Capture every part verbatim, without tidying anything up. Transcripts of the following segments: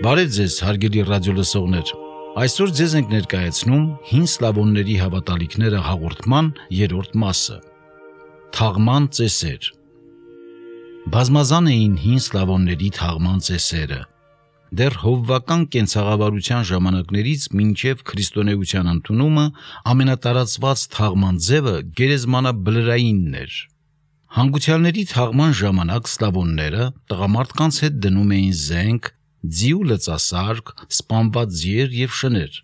Բարև ձեզ, հարգելի ռադիոլսողներ։ Այսօր ձեզ ենք ներկայացնում հին սլավոնների հավատալիքները հաղորդման երրորդ մասը։ Թաղման ծեսեր։ Բազմազան էին հին սլավոնների թաղման ծեսերը։ Դեռ հովվական կենցաղավարության ժամանակներից մինչև քրիստոնեության ընդունումը ամենատարածված թաղման ձևը գերեզմանաբլրայինն էր։ Հանգուցյալների թաղման ժամանակ սլավոնները տղամարդկանց հետ դնում էին զենք, ձի ու լծասարք, սպանված ձիեր և շներ։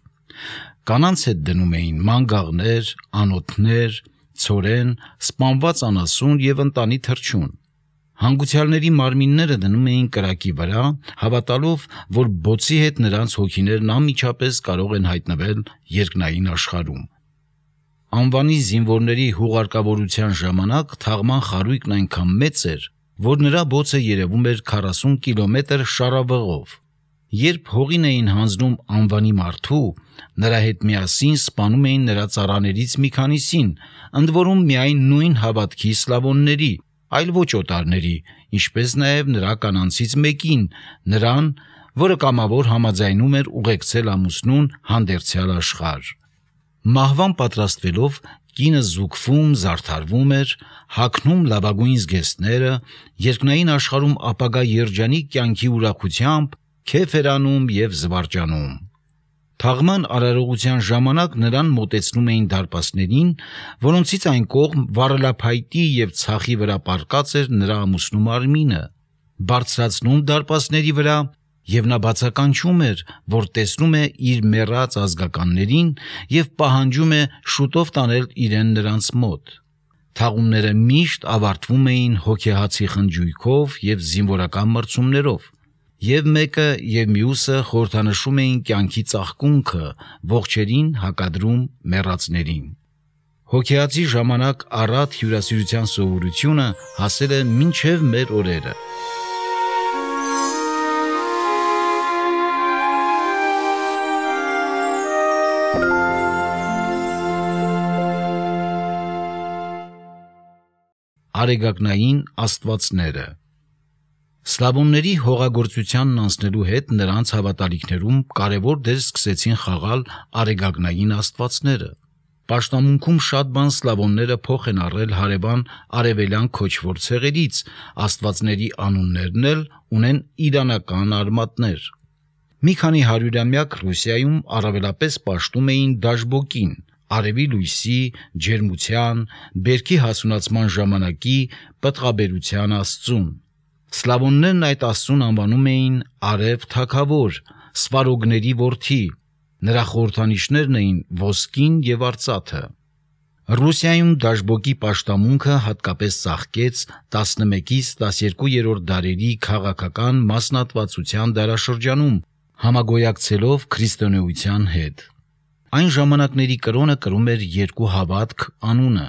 Կանանց հետ դնում էին մանգաղներ, անոթներ, ցորեն, սպանված անասուն և ընտանի թռչուն։ Հանգուցյալների մարմինները դնում էին կրակի վրա, հավատալով, որ բոցի հետ նրանց հոգիներն անմիջապես կարող են հայտնվել երկնային աշխարհում։ Անվանի զինվորների հուղարկավորության ժամանակ թաղման խարույկն այնքան մեծ էր, որ նրա բոցը երևում էր քառասուն կիլոմետր շառավղով։ Երբ հողին էին հանձնում անվանի մարդու, նրա հետ միասին սպանում էին նրա ծառաներից մի քանիսին, ընդ որում միայն նույն հավատքի սլավոնների, այլ ոչ օտարների, ինչպես նաև նրա կանանցից մեկին, նրան, որը կամավոր համաձայնում էր ուղեկցել ամուսնուն հանդերձյալ աշխարհ։ Մահվան պատրաստվելով կինը զուգվում, զարդարվում էր, հագնում լավագույն զգեստները, երկնային աշխարհում ապագա երջանիկ կյանքի ուրախությամբ քեֆ էր անում և զվարճանում։ Թաղման արարողության ժամանակ նրան մոտեցնում էին դարպասներին, որոնցից այն կողմ վառելափայտի և ցախի վրա պառկած էր նրա ամուսնու մարմինը, բարձրացնում դարպասների վրա, և նա բացականչում էր, որ տեսնում է իր մեռած ազգականներին և պահանջում է շուտով տանել իրեն նրանց մոտ։ Թաղումները միշտ ավարտվում էին հոգեհացի խնջույքով և զինվորական մրցումներով, և մեկը և մյուսը խորհրդանշում էին կյանքի ծաղկունքը, ողջերին հակադրում մեռածներին։ Հոգեհացի ժամանակ առատ հյուրասիրության սովորությունը հասել է մինչև մեր օրերը։ Արեգակնային աստվածները։ Սլավոնների հողագործությանն անցնելու հետ նրանց հավատալիքներում կարևոր դեր սկսեցին խաղալ արեգակնային աստվածները։ Պաշտամունքում շատ բան սլավոնները փոխ են առել հարևան արևելյան քոչվոր ցեղերից, աստվածների անուններն էլ ունեն իրանական արմատներ։ Մի քանի հարյուրամյակ Ռուսիայում առավելապես պաշտում էին Դաշբոկին, արևի լույսի, ջերմության, բերքի հասունացման ժամանակի, պտղաբերության աստծուն։ Սլավոններն այդ աստծուն անվանում էին Արև թագավոր, Սվարոգների որդի, նրա խորհրդանիշներն էին ոսկին և արծաթը։ Ռուսիայում Դաշբոկի պաշտամունքը հատկապես ծաղկեց տասնմեկից տասներկուերորդ դարերի քաղաքական մասնատվածության դարաշրջանում, համագոյակցելով քրիստոնեության հետ։ Այն ժամանակների կրոնը կրում էր երկու հավատք անունը։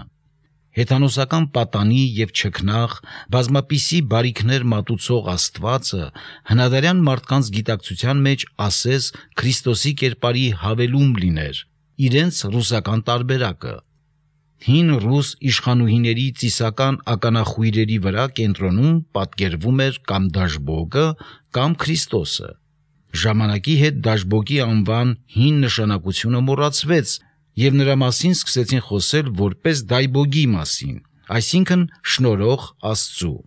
Հեթանոսական պատանի և չքնաղ, բազմապիսի բարիքներ մատուցող Աստվածը հնադարյան մարդկանց գիտակցության մեջ ասես Քրիստոսի կերպարի հավելում լիներ, իրենց ռուսական տարբերակը։ Հին ռուս իշխանուհիների ծիսական ականախույրերի վրա կենտրոնում պատկերվում էր կամ Դաշբոկը, կամ Քրիստոսը։ Ժամանակի հետ Դաշբոկի անվան հին նշանակությունը մոռացվեց, և նրա մասին սկսեցին խոսել որպես Դայբոգի մասին, այսինքն շնորհող Աստծու։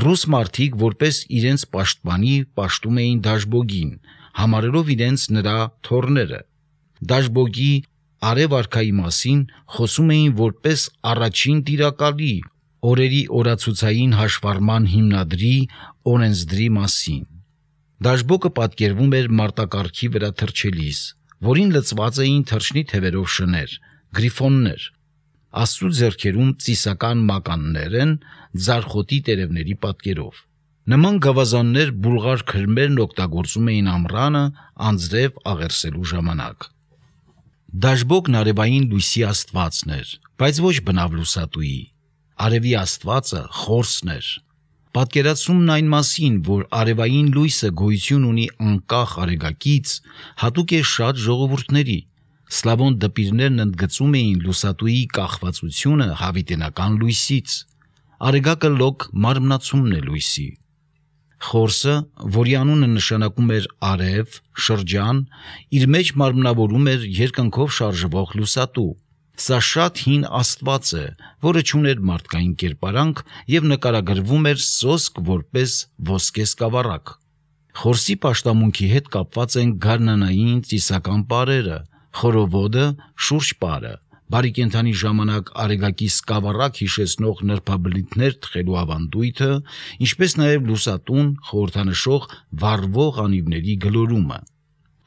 Ռուս մարդիկ որպես իրենց պաշտպանի պաշտում էին Դաշբոգին, համարելով իրենց նրա թոռները։ Դաշբոգի Արև արքայի մասին խոսում էին որպես առաջին տիրակալի, օրերի օրացուցային հաշվառման հիմնադրի, օրենսդրի մասին։ Դաշբոկը պատկերվում էր մարտակառքի վրա թռչելիս, որին լցված էին թռչնի թևերով շներ, գրիֆոններ։ Աստծու ձեռքերում ծիսական մականներ են, ձարխոտի տերևների պատկերով։ Նման գավազաններ բուլղար քրմերն օգտագործում էին ամռանը անձրև աղերսելու ժամանակ։ Դաշբոկն արևային լույսի աստվածն էր, բայց ոչ բնավ լուսատուի։ Արևի աստվածը խորսն էր։ Պատկերացումն այն մասին, որ արևային լույսը գոյություն ունի անկախ արեգակից, հատուկ է շատ ժողովուրդների։ Սլավոն դպիրներն ընդգծում էին լուսատուի կախվածությունը հավիտենական լույսից։ Արեգակը լոկ մարմնացումն է լույսի։ Խորսը, որի անունը նշանակում էր արև, շրջան, իր մեջ մարմնավորում էր երկնքով շարժվող լուսատու։ Սա շատ հին աստված է, որը չուներ մարդկային կերպարանք եւ նկարագրվում էր սոսկ որպես ոսկե սկավառակ։ Խորսի պաշտամունքի հետ կապված են գարնանային ծիսական պարերը, խորովոդը, շուրջ պարը, բարի կենդանի ժամանակ արեգակի սկավառակ հիշեցնող նրբաբլիթներ թխելու ավանդույթը, ինչպես նաև լուսատուն խորհրդանշող վառվող անիվների գլորումը։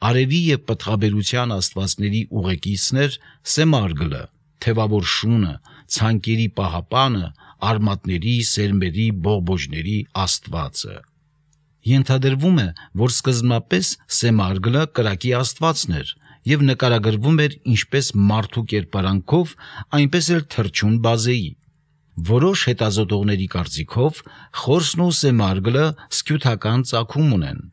Արևի եւ պտղաբերության աստվածների ուղեկիցներ Սեմարգլը, թևավոր շունը, ցանկերի պահապանը, արմատների, սերմերի, բողբոջների աստվածը։ Ենթադրվում է, որ սկզբնապես Սեմարգլը կրակի աստվածն էր եւ նկարագրվում էր ինչպես մարդու կերպարանքով, այնպես էլ թռչուն բազեի։ Որոշ հետազոտողների կարծիքով Խորսն ու Սեմարգլը սկյութական ծագում ունեն։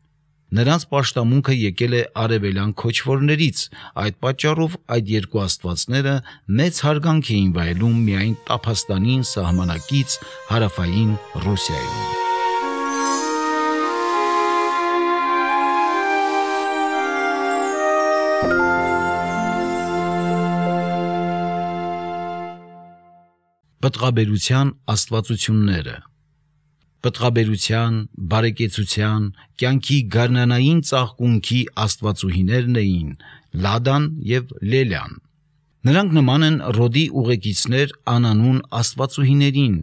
Նրանց պաշտամունքը եկել է արևելյան քոչվորներից, այդ պատճառով այդ երկու աստվածները մեծ հարգանք էին վայելում միայն Տափաստանին սահմանակից հարավային Ռուսիայում։ Պտղաբերության աստվածությունները։ Պտղաբերության, բարեկեցության, կյանքի գարնանային ծաղկունքի աստվածուհիներն էին Լադան եւ Լելյան։ Նրանք նման են Ռոդի ուղեկիցներ անանուն աստվածուհիներին,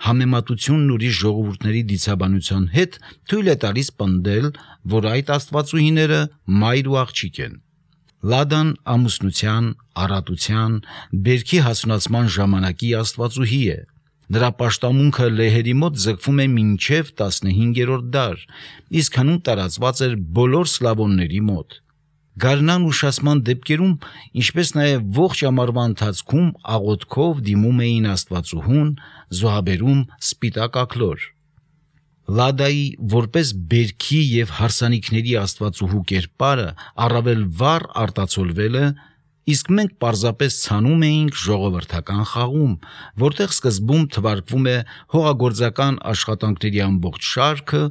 համեմատությունն ուրիշ ժողովուրդների դիցաբանության հետ թույլ է տալիս պնդել, որ այդ աստվածուհիները մայր ու աղջիկ են։ Լադան ամուսնության, առատության, բերքի հասունացման ժամանակի աստվածուհի է։ Նրա պաշտամունքը լեհերի մոտ ձգվում է մինչև տասնհինգերորդ դար, իսկ հնում տարածված էր բոլոր սլավոնների մոտ։ Գարնան ուշացման դեպքերում, ինչպես նաև ողջ ամառվա ընթացքում աղոթքով դիմում էին աստվածուհուն, զոհաբերում սպիտակ աքլոր։ Լադայի որպես բերքի եւ հարսանիքների աստվածուհու կերպարը առավել վառ արտացոլվել է, իսկ մենք պարզապես ցանում էինք ժողովրդական խաղում, որտեղ սկզբում թվարկվում է հողագործական աշխատանքների ամբողջ շարքը,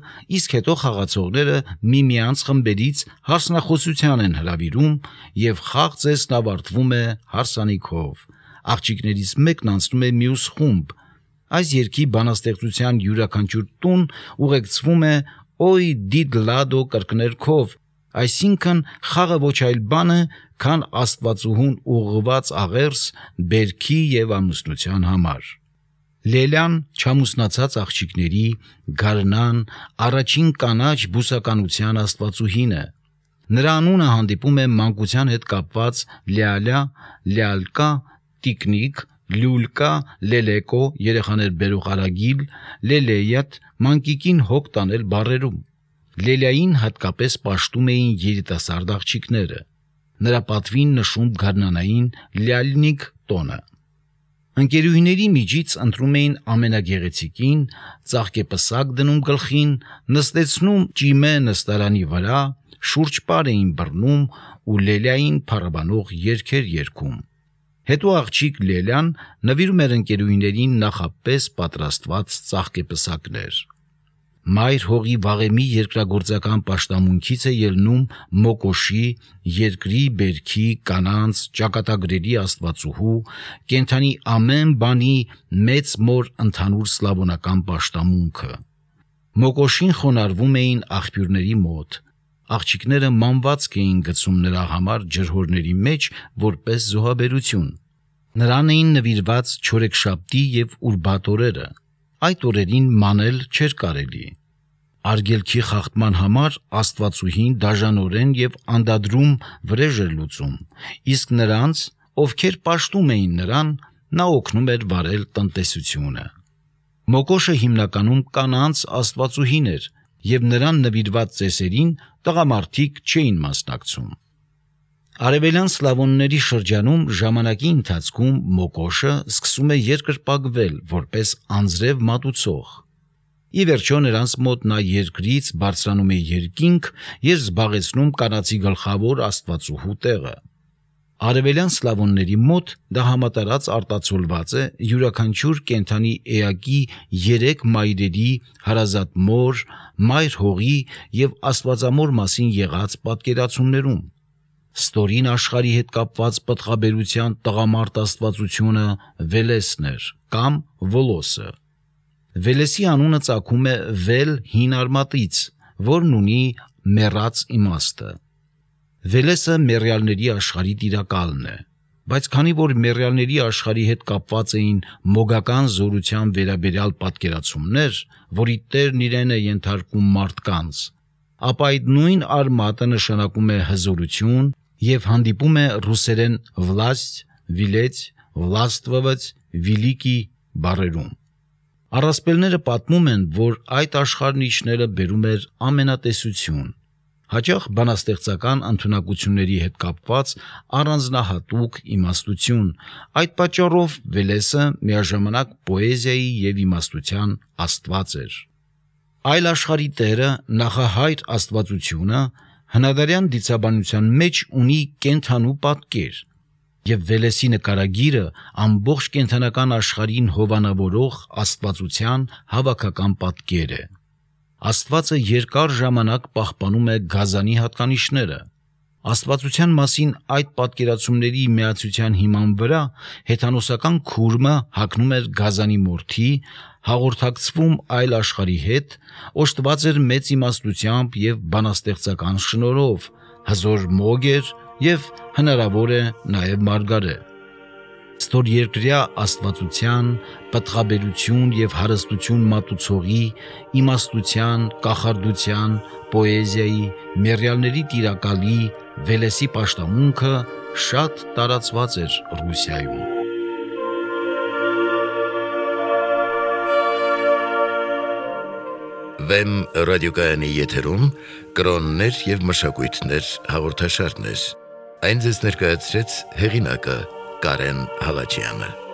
իսկ հետո խաղացողները միմյանց խմբերից հարսնախոսության են հրավիրում եւ խաղ ծեսն ավարտվում է հարսանիքով։ Աղջիկներից մեկն անցնում է մյուս խումբ։ Այս երգի բանաստեղծության յուրաքանչյուր տուն ուղեկցվում է «Օյ դիդ լադո» կրկներքով, այսինքն խաղը ոչ այլ բան է, քան աստվածուհուն ուղղված աղերս բերքի եւ ամուսնության համար։ Լելյան չամուսնացած աղջիկների, գարնան, առաջին կանաչ բուսականության աստվածուհին է։ Նրա անունը հանդիպում է մանկության հետ կապված լյալյա, լյալկա, տիկնիկ, լյուլկա, լելեկո, երեխաներ բերող արագիլ, լելեյատ, մանկիկին հոգ տանել բառերում։ Լելյային հատկապես պաշտում էին երիտասարդ աղջիկները։ Նրա պատվին նշում գարնանային լյալնիկ տոնը։ Ընկերուհիների միջից ընտրում էին ամենագեղեցիկին, ծաղկեպսակ դնում գլխին, նստեցնում ճիմե նստարանի վրա, շուրջ պար էին բռնում ու լելյային փառաբանող երգեր երգում։ Հետո աղջիկ Լելյան նվիրում էր ընկերուհիներին նախապես պատրաստված ծաղկեպսակներ։ Մայր հողի վաղեմի երկրագործական պաշտամունքից է ելնում Մոկոշի, երկրի, բերքի, կանանց, ճակատագրերի աստվածուհու, կենդանի ամեն բանի մեծ մոր ընդհանուր սլավոնական պաշտամունքը։ Մոկոշին խոնարհվում էին աղբյուրների մոտ։ Աղջիկները մանվածք էին գցում նրա համար ջրհորների մեջ որպես զոհաբերություն։ Նրան էին նվիրված չորեքշաբթի եւ ուրբաթ օրերը։ Այդ օրերին մանել չէր կարելի։ Արգելքի խախտման համար աստվածուհին դաժանորեն եւ անդադրում վրեժ էր լուծում, իսկ նրանց, ովքեր պաշտում էին նրան, նա օգնում էր վարել տնտեսությունը։ Մոկոշը հիմնականում կանանց աստվածուհին էր եւ նրան նվիրված ծեսերին տղամարդիկ չէին մասնակցում։ Արևելյան սլավոնների շրջանում ժամանակի ընթացքում Մոկոշը սկսում է երկրպագվել որպես անձրև մատուցող։ Ի վերջո նրանց մոտ նա երկրից բարձրանում է երկինք եւ զբաղեցնում կանացի գլխավոր աստվածուհու տեղը։ Արևելյան սլավոնների մոտ դա համատարած արտացոլված է յուրաքանչյուր կենդանի էակի երեք մայրերի, հարազատ մոր, մայր հողի և աստվածամոր մասին եղած պատկերացումներում։ Ստորին աշխարհի հետ կապված պտղաբերության տղամարդ աստվածությունը Վելեսն էր կամ Վոլոսը։ Վելեսի անունը ծագում է վել հին արմատից, որն ունի մեռած իմաստը։ Վելեսը մեռյալների աշխարհի տիրակալն է, բայց քանի որ մեռյալների աշխարհի հետ կապված էին մոգական զորության վերաբերյալ պատկերացումներ, որի տերն իրեն է ենթարկում մարդկանց, ապա այդ նույն արմատը նշանակում է հզորություն և հանդիպում է ռուսերեն վլաստ, վիլեց, վլաստվվց, վիլիկի բառերում։ Առասպելները պատմում են, որ այդ աշխարհն իջնելը բերում էր ամենատեսություն, հաճախ բանաստեղծական ընդունակությունների հետ կապված առանձնահատուկ իմաստություն, այդ պատճառով Վելեսը միաժամանակ պոեզիայի և իմաստության աստված էր։ Այլ աշխարհի տերը, նախահայր աստվածությունը, հնադարյան դիցաբանության մեջ ունի կենդանու պատկեր, և Վելեսի նկարագիրը ամբողջ կենդանական աշխարհին հովանավորող աստվածության հավաքական պատկեր է։ Աստվածը երկար ժամանակ պահպանում է գազանի հատկանիշները։ Աստվածության մասին այդ պատկերացումների միացության հիման վրա հեթանոսական քուրմը հագնում էր գազանի մորթի, հաղորդակցվում այլ աշխարհի հետ, օժտված էր մեծ իմաստությամբ և բանաստեղծական շնորհով, հզոր մոգ էր և հնարավոր է նաև մարգարե։ Ստորերկրյա աստվածության, պտղաբերություն և հարստություն մատուցողի, իմաստության, կախարդության, պոեզիայի, մեռյալների տիրակալի Վելեսի պաշտամունքը շատ տարածված էր Ռուսիայում։ Վեմ ռադիոկայանի եթերում կրոններ և մշակույթներ հաղորդաշարներ։ Այն ձեզ ներկայացրեց հեղինակը Կարեն Հալաջյանը։